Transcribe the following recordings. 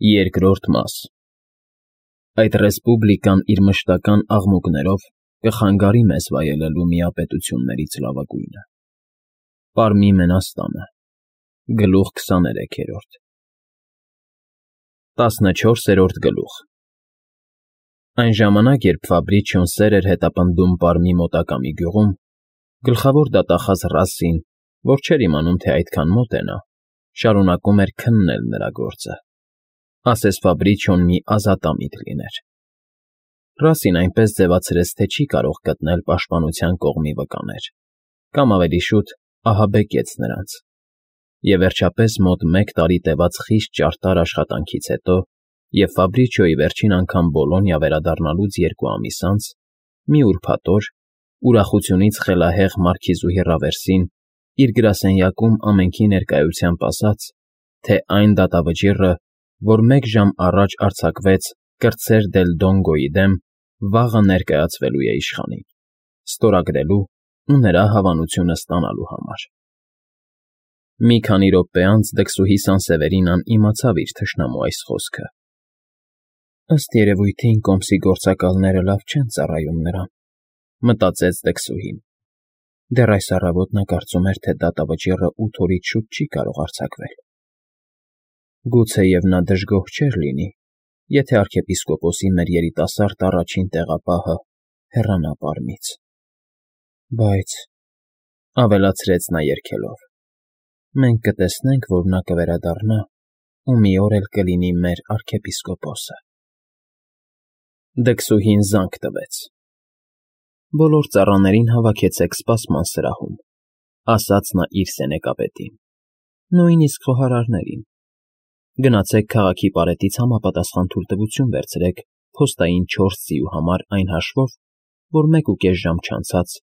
Երկրորդ մաս Այդ ռեսպուբլիկան իր մշտական աղմուկներով կխանգարի մեզ վայելելու միապետություններից լավագույնը։ Պարմի Մենաստանը, գլուխ 23 14-րդ գլուխ Այն ժամանակ, երբ Ֆաբրիչիոն սեր էր հետապնդում Պարմի մոտակա մի գյուղում, գլխավոր դատախազ Ռասսին, որ չէր իմանում, թե այդքան մոտ է նա, շարունակում էր քննել նրա գործը, ասես Ֆաբրիչիոն մի ազատամիտ լիներ։ Ռասսին այնպես ձևացրեց, թե չի կարող գտնել պաշտպանության կողմի վկաներ, կամ ավելի շուտ ահաբեկեց նրանց, և վերջապես մոտ 1 տարի տևած խիստ ճարտար աշխատանքից հետո և Ֆաբրիչիոյի վերջին անգամ Բոլոնիա վերադառնալուց 2 ամիս անց, մի ուրբաթ օր, ուրախությունից խելահեղ մարքիզուհի Ռավերսին իր գրասենյակում ամենքի ներկայությամբ ասաց, թե այն դատավճիռը, որ 1 ժամ առաջ արձակվեց կրտսեր դել Դոնգոյի դեմ, վաղը ներկայացվելու է իշխանին, ստորագրելու ու նրա հավանությունը ստանալու համար։ Մի քանի րոպե անց դքսուհի Սանսևերինան իմացավ իր թշնամու այս խոսքը։ «Ըստ երևույթին կոմսի գործակալները լավ չեն ծառայում նրան», մտածեց դքսուհին։ Դեռ այս առավոտ նա կարծում էր, թե դատավճիռը 8 օրից շուտ չի կարող արձակվել։ Գուցեև նա դժգոհ չէր լինի, եթե arczepiskopos-ի մեր երիտասարդ առաջին տեղապահը հեռանա Պարմից։ Բայց, ավելացրեց նա երգելով, մենք կտեսնենք, որ նա կվերադառնա ու մի օր էլ կլինի մեր arczepiskopos-ը։ Դքսուհին զանգ տվեց։ «Բոլոր ծառաներին հավաքեցեք սպասման սրահում», ասաց նա իր սենեկապետին, «նույնիսկ խոհարարներին։ Գնացեք քաղաքի պարետից համապատասխան թույլտվություն վերցրեք փոստային 4 ձիու համար այն հաշվով, որ 1.5 ժամ չանցած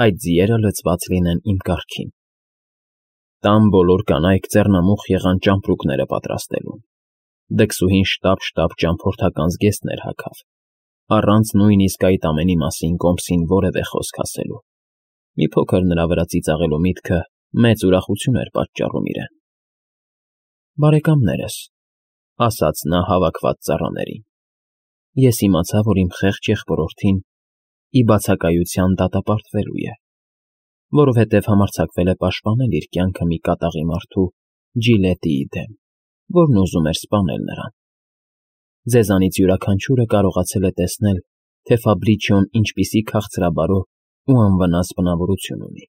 այդ ձիերը լցված լինեն իմ կառքին։ Տան բոլոր կանայք ձեռնամուխ եղան ճամպրուկները պատրաստելուն»։ Դքսուհին շտապ ճամփորդական զգեստներ հագավ, առանց նույնիսկ այդ ամենի մասին կոմսին որևէ խոսք ասելու։ Մի փոքր նրա վրա ծիծաղելու միտքը մեծ ուրախություն էր պատճառում իրեն։ «Բարեկամներս», ասաց նա հավաքված ծառաներին, «ես իմացա, որ իմ խեղճ եղբորորդին ի բացակայության դատապարտվելու է, որովհետև համարձակվել է պաշտպանել իր կյանքը մի կատաղի մարդու Ջիլետիի դեմ, որն ուզում էր սպանել նրան։ Ձեզանից յուրաքանչյուրը կարողացել է տեսնել, թե Ֆաբրիչիոն ինչպիսի քաղցրաբարո ու անվնաս բնավորություն ունի։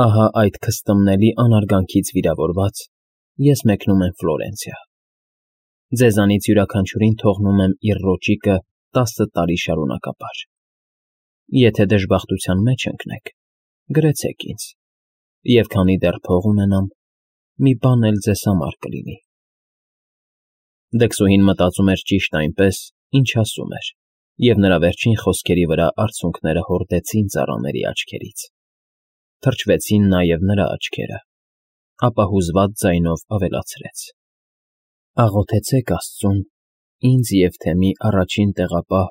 Ահա այդ քստմնելի անարգանքից վիրավորված ես մեկնում եմ Ֆլորենցիա։ Ձեզանից յուրաքանչյուրին թողնում եմ իր ռոճիկը 10 տարի շարունակապար։ Եթե դժբախտության մեջ ընկնեք, գրեցեք ինձ, և քանի դեռ փող ունենամ, մի բան էլ ձեզ համար կլինի»։ Դքսուհին մտածում էր ճիշտ այնպես, ինչ ասում էր, և նրա վերջին խոսքերի վրա արցունքները հորդեցին ծառաների աչքերից։ Թրջվեցին նաև նրա աչքերը, ապա հուզված ձայնով ավելացրեց. «Աղոթեցեք Աստծուն ինձ և թեմի առաջին տեղապահ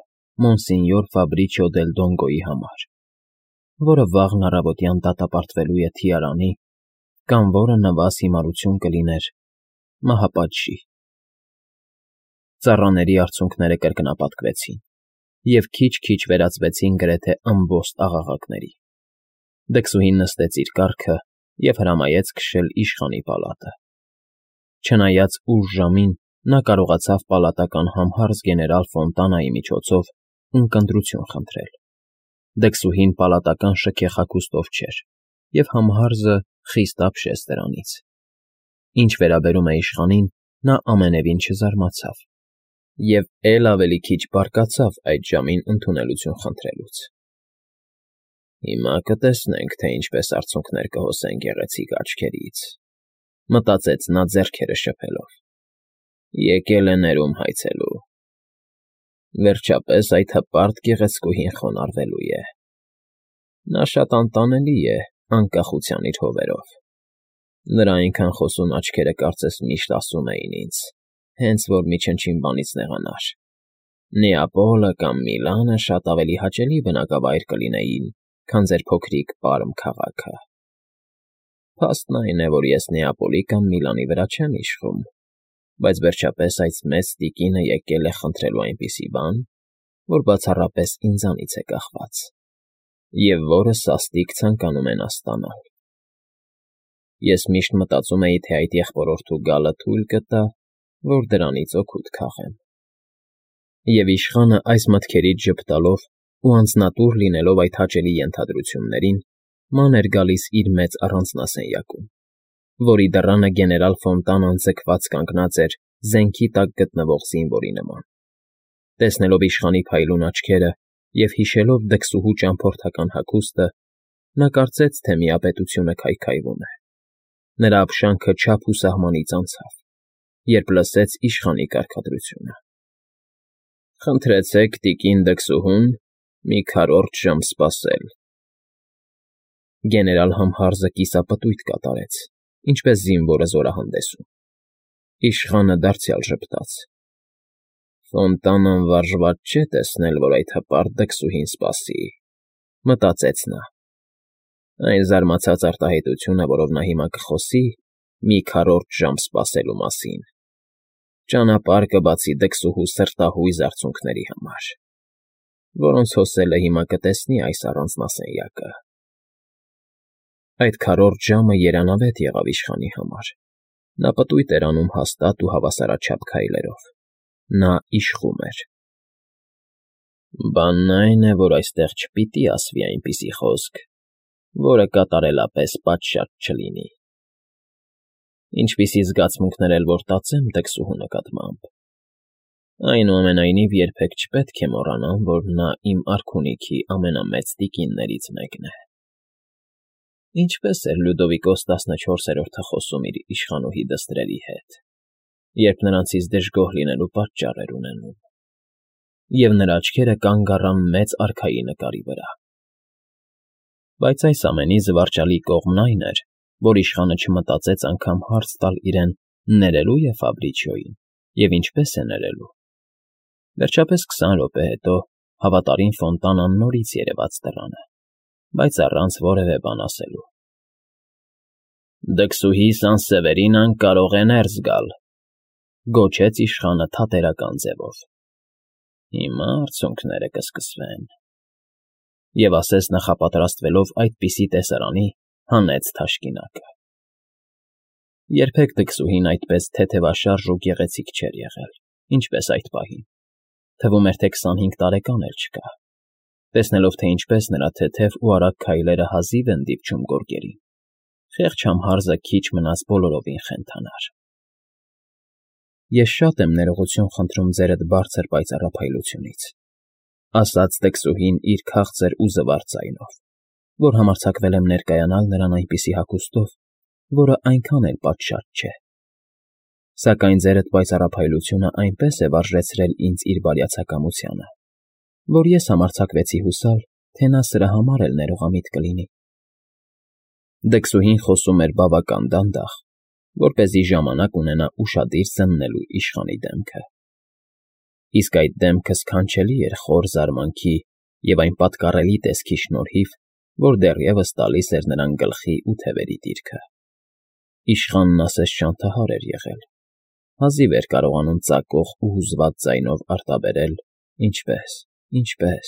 Մոնսենյոր Ֆաբրիչիո դել Դոնգոյի համար, որը վաղն առավոտյան դատապարտվելու է թիարանի կամ որը նվազ հիմարություն կլիներ մահապատժի»։ Ծառաների արցունքները կրկնապատկվեցին և քիչ-քիչ վերածվեցին գրեթե ըմբոստ աղաղակների։ Դքսուհին նստեց իր կառքը և հրամայեց քշել իշխանի պալատը։ Չնայած ուշ ժամին, նա կարողացավ պալատական համհարձ գեներալ Ֆոնտանայի միջոցով ունկնդրություն խնդրել։ Դքսուհին պալատական շքեղ չէր, և համհարձը խիստ ապշեց դրանից։ Ինչ վերաբերում է իշխանին, նա ամենևին չզարմացավ և էլ ավելի քիչ բարկացավ այդ ժամին ընդունելություն խնդրելուց։ «Հիմա կտեսնենք, թե ինչպես արցունքներ կհոսեն գեղեցիկ աչքերից», մտածեց նա ձեռքերը շփելով։ «Եկել է ներում հայցելու։ Վերջապես այդ հպարտ գեղեցկուհին խոնարհվելու է։ Նա շատ անտանելի է անկախության իր հովերով։ Նրա այնքան խոսուն աչքերը կարծես միշտ ասում էին ինձ, հենց որ մի չնչին բանից նեղանար. Նեապոլը կամ Միլանը շատ ավելի հաճելի բնակավայր կլինեին, քան ձեր փոքրիկ Պարմ քաղաքը։ Փաստն այն է, որ ես Նեապոլի կամ Միլանի վրա չեմ իշխում, բայց վերջապես այս մեծ տիկինը եկել է խնդրելու այնպիսի բան, որ բացառապես ինձանից է կախված, և որը սաստիկ ցանկանում է նա ստանալ։ Ես միշտ մտածում էի, թե այդ եղբորորդու գալը թույլ կտա, որ դրանից օգուտ քաղեմ։ Եվ իշխանը այս մտքերից ժպտալով ու անձնատուր լինելով այդ հաճելի ենթադրություններին, ման էր գալիս իր մեծ առանձնասենյակում, որի դռանը գեներալ Ֆոնտանան ձգված կանգնած էր զենքի տակ գտնվող զինվորի նման։ Տեսնելով իշխանի փայլուն աչքերը և հիշելով դքսուհու ճամփորդական հագուստը, նա կարծեց, թե միապետությունը քայքայվում է։ Նրա ապշանքը չափ ու սահմանից անցավ, երբ լսեց իշխանի կարգադրությունը. «Խնդրեցեք տիկին դքսուհուն մի քառորդ ժամ սպասել»։ Գեներալ Համհարզը կիսապտույտ կատարեց, ինչպես զինվորը զորահանդեսում։ Իշխանը դարձյալ ժպտաց. «Ֆոնտանան վարժված չէ տեսնել, որ այդ հպարտ դքսուհին սպասի», մտածեց նա։ Այն զարմացած արտահայտությունը, որով նա հիմա կխոսի մի քառորդ ժամ սպասելու մասին, ճանապարհ կբացի դքսուհու սրտահույզ արցունքների համար, որոնց հոսելը հիմա կտեսնի այս առանձնասենյակը։ Այդ քառորդ ժամը երանավետ եղավ իշխանի համար։ Նա պտույտ էր անում հաստատ ու հավասարաչափ քայլերով։ Նա իշխում էր։ Բանն այն է, որ այստեղ չպիտի ասվի այնպիսի խոսք, որը կատարելապես պատշաճ չլինի։ Ինչպիսի զգացմունքներ էլ որ տածեմ դքսուհու նկատմամբ, այնուամենայնիվ երբեք չպետք է մոռանամ, որ նա իմ արքունիքի ամենամեծ տիկիններից մեկն է։ Ինչպես էր Լյուդովիկոս 14-րդը խոսում իր իշխանուհի դստրերի հետ, երբ նրանցից դժգոհ լինելու պատճառ էր ունենում, և նրա աչքերը կանգ առան մեծ արքայի նկարի վրա։ Բայց այս ամենի զվարճալի կողմն այն էր, որ իշխանը չմտածեց անգամ հարց տալ իրեն ներելու է Ֆաբրիչիոյին և ինչպես է ներելու։ Վերջապես 20 րոպե հետո հավատարիմ Ֆոնտանան նորից երևաց դռանը, բայց առանց որևէ բան ասելու։ «Դքսուհի Սան֊Սևերինան կարող է ներս գալ», գոչեց իշխանը թատերական ձևով։ «Հիմա արցունքները կսկսվեն»։ Եվ ասես նախապատրաստվելով այդպիսի տեսարանի, հանեց թաշկինակը։ Երբեք դքսուհին այդպես թեթևաշարժ ու գեղեցիկ չէր եղել, ինչպես այդ պահին։ Թվում էր, թե 25 տարեկան էլ չկա։ Տեսնելով, թե ինչպես նրա թեթև ու արագ քայլերը հազիվ են դիպչում գորգերին, խեղճ Համհարզը քիչ մնաց բոլորովին խենթանար։ «Ես շատ եմ ներողություն խնդրում ձերդ բարձր պայծառափայլությունից», ասաց դքսուհին իր քաղցր ու զվարթ ձայնով, որ համարձակվել եմ ներկայանալ նրան այնպիսի հագուստով, որը այնքան էլ պատշաճ չէ։ Սակայն ձերդ պայծառափայլությունը այնպես է վարժեցրել ինձ իր բարյացակամությանը, որ ես համարձակվեցի հուսալ, թե նա սրա համար էլ ներողամիտ կլինի։ Դքսուհին խոսում էր բավական դանդաղ, որպեսզի ժամանակ ունենա ուշադիր զննելու իշխանի դեմքը։ Իսկ այդ դեմքը սքանչելի էր խոր զարմանքի և այն պատկառելի տեսքի շնորհիվ, որ դեռևս տալիս էր նրան գլխի ու թևերի դիրքը։ Իշխանն ասես շանթահար էր եղել, հազիվ էր կարողանում ծակող ու հուզված ձայնով արտաբերել. ինչպես։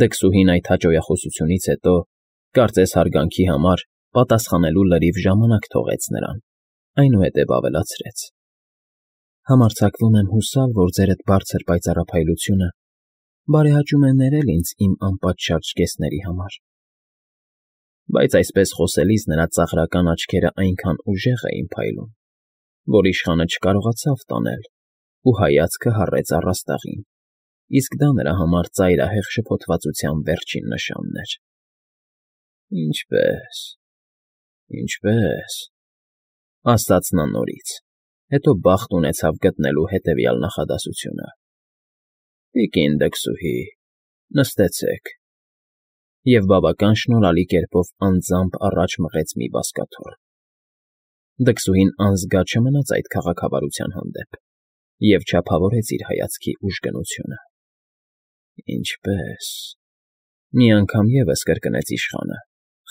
Դքսուհին այդ հաճոյախոսությունից հետո, կարծես հարգանքի համար, պատասխանելու լրիվ ժամանակ թողեց նրան, այնուհետև ավելացրեց. Համարձակվում եմ հուսալ, որ ձերդ բարձր պայծառափայլությունը բարեհաճում է ներել ինձ իմ անպատշաճ կեսների համար։ Բայց այսպես խոսելիս նրա ծաղրական աչքերը այնքան ուժեղ էին փայլում, որ իշխանը չկարողացավ տանել ու հայացքը հառեց առաստաղին, իսկ դա նրա համար ծայրահեղ շփոթվածության վերջին նշանն էր։ Ինչպես, ասաց նա նորից, հետո բախտ ունեցավ գտնելու հետևյալ նախադասությունը. «Տիկին դքսուհի, նստեցեք», և բավական շնորհալի կերպով անձամբ առաջ մղեց մի բազկաթոռ։ Դքսուհին անզգա չմնաց այդ քաղաքավարության հանդեպ և չափավորեց իր հայացքի ուժգնությունը։ «Ինչպես», մի անգամ ևս կրկնեց իշխանը,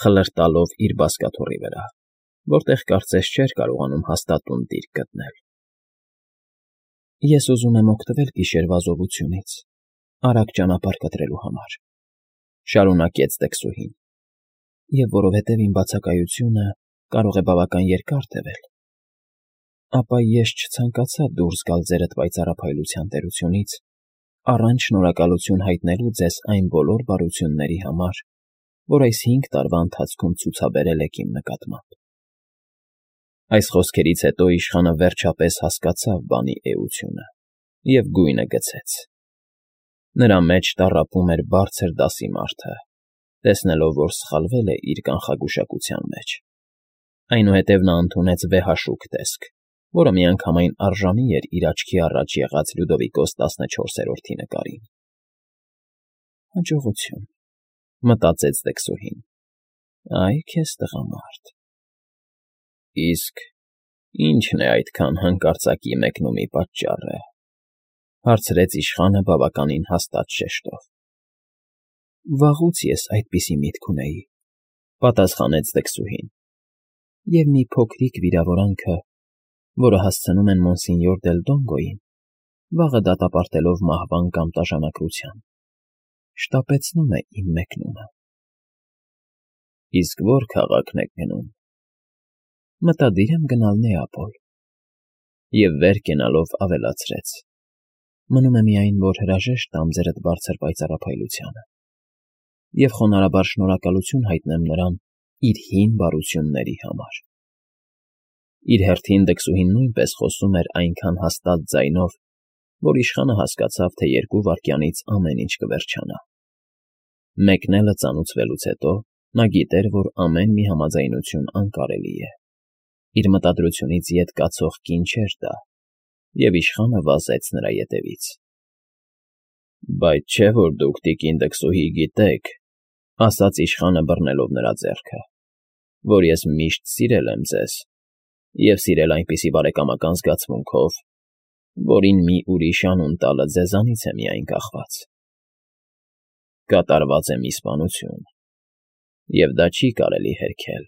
խլրտալով իր բազկաթոռի վրա, որտեղ կարծես չէր կարողանում հաստատուն դիրք գտնել։ Ես ուզում եմ օգտվել գիշերվա զովությունից, արագ ճանապարհ կտրելու համար, շարունակեց Դեքսուհին, և որովհետև իմ բացակայությունը կարող է բավական երկար տևել, ապա ես չցանկացա դուրս գալ ձերդ պայծառափայլության տերությունից, առանց շնորհակալություն հայտնելու ձեզ այն բոլոր բարությունների համար, որ այս 5 տարվա ընթացքում ցուցաբերել եք իմ նկատմամբ։ Այս խոսքերից հետո իշխանը վերջապես հասկացավ բանի էությունը և գույնը գցեց։ Նրա մեջ տառապում էր բարձր դասի մարդը, տեսնելով, որ սխալվել է իր կանխագուշակության մեջ։ Այնուհետև նա ընդունեց վեհաշուկ տեսք, որը միանգամայն արժանի էր իր աչքի առաջ եղած Լյուդովիկոս 14-րդի նկարին։ Հաջողություն, մտածեց Դեքսուհին։ Այ քեզ տղամարդ։ Իսկ ի՞նչն է այդքան հանկարծակի մեկնումի պատճառը, հարցրեց իշխանը բավականին հաստատ շեշտով։ Վաղուց ես այդպիսի միտք ունեի, պատասխանեց Դեքսուհին, և մի փոքրիկ վիրավորանքը, որը հասցնում են մոնսինյոր դել Դոնգոյին, վաղը դատապարտելով մահվան կամ տաժանակրության, շտապեցնում է իմ մեկնումը։ Իսկ ո՞ր քաղաքն եք գնում։ Մտադիր եմ գնալ Նեապոլ։ Եվ վեր կենալով ավելացրեց. մնում է միայն, որ հրաժեշտ տամ ձերդ բարձր պայծառափայլությանը և խոնարհաբար շնորհակալություն հայտնեմ նրան իր հին բարությունների համար։ Իր հերթին Դեքսուհին նույնպես խոսում էր այնքան հաստատ ձայնով, որ իշխանը հասկացավ, թե 2 վայրկյանից ամեն ինչ կվերջանա։ Մեկնելը ծանուցվելուց հետո նա գիտեր, որ ամեն մի համաձայնություն անկարելի է։ Իր մտադրությունից ետ կացող կին չէր դա, և իշխանը վազեց նրա ետևից։ Բայց չէ՞ որ դուք, տիկին Դեքսուհի, գիտեք, ասաց իշխանը բռնելով նրա ձեռքը, որ ես միշտ սիրել եմ ձեզ և սիրել այնպիսի բարեկամական զգացմունքով, որին մի ուրիշ անուն տալը ձեզանից է միայն կախված։ Կատարված է մի սպանություն, և դա չի կարելի հերքել։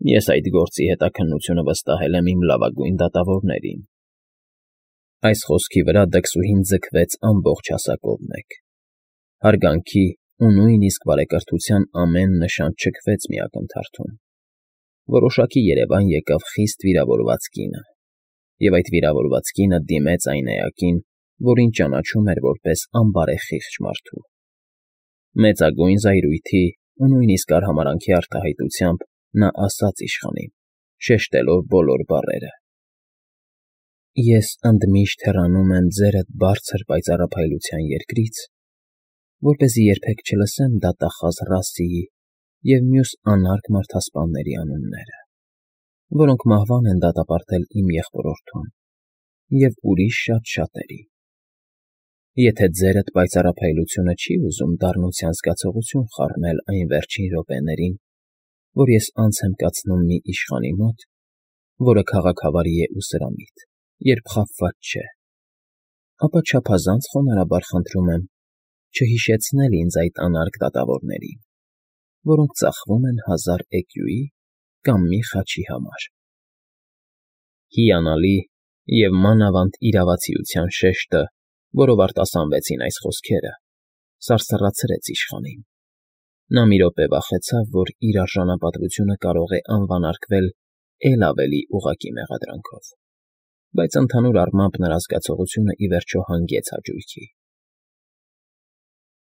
Ես այդ գործի հետաքննությունը վստահել եմ իմ լավագույն դատավորներին։ Այս խոսքի վրա Դեքսուհին ձգվեց ամբողջ հասակով մեկ։ Հարգանքի ու նույնիսկ բարեկրթության ամեն նշան չքվեց մի ակնթարթում։ Որոշակի երևան եկավ խիստ վիրավորված կինը, և այդ վիրավորված կինը դիմեց այն էակին, որին ճանաչում էր որպես անբարեխիղճ մարդու։ Մեծագույն զայրույթի ու նույնիսկ արհամարհանքի արտահայտությամբ նա ասաց իշխանին, շեշտելով բոլոր բառերը. Ես ընդմիշտ հեռանում եմ ձերդ բարձր պայծառափայլության երկրից, որպեսզի երբեք չլսեմ դատախազ Ռասիի և մյուս անարգ մարդասպանների անունները, որոնք մահվան են դատապարտել իմ եղբորորդուն և ուրիշ շատ-շատերի։ Եթե ձերդ պայծառափայլությունը չի ուզում դառնության զգացողություն խառնել այն վերջին րոպեներին, որ ես անց եմ կացնում մի իշխանի մոտ, որը քաղաքավարի է ու սրամիտ, երբ խաբված չէ, ապա չափազանց խոնարհաբար խնդրում եմ չհիշեցնել ինձ այդ անարգ դատավորներին, որոնք ծախվում են 1000 էկյուի կամ մի խաչի համար։ Հիանալի և մանավանդ իրավացիության շեշտը, որով արտասանվեցին այս խոսքերը, սարսռացրեց իշխանին։ Նա մի րոպե վախեցավ, որ իր արժանապատվությունը կարող է անվանարկվել էլ ավելի ուղղակի մեղադրանքով, բայց ընդհանուր առմամբ նրա զգացողությունը ի վերջո հանգեց հաճույքի։